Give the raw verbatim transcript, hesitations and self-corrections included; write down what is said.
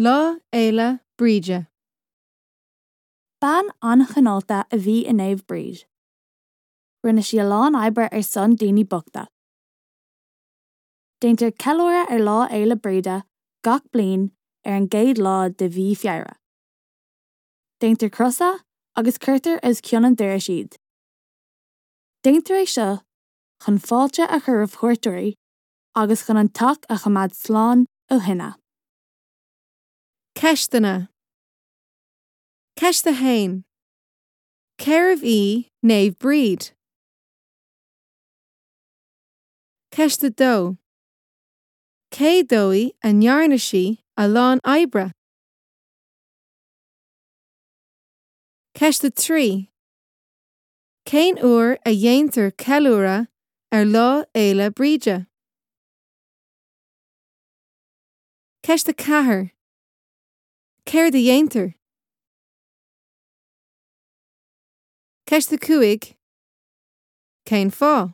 Lá Fhéile Bríde. Bean an-chineálta a bhí i Naomh Bríd. Rinne sí a lán oibre ar son daoine bochta. Déantar ceiliúradh ar Lá Fhéile Bríde gach bliain ar an gcéad lá de mhí Feabhra. Déantar crosa agus cuirtear os cionn an dorais iad. Déantar é seo chun fáilte a chur roimh chuairteoirí agus chun an teach a choimeád slán ó thine. Ceisteanna. Ceist a haon. Cérbh í Naomh Bríd? Ceist a dó. Cé dóigh a ndearna sí a lán oibre? Ceist a trí. Cén uair a dhéantar ceiliúradh ar Lá Fhéile Bríde? Ceist a ceathair. Céard a dhéantar? Ceist a cúig. Cén fáth?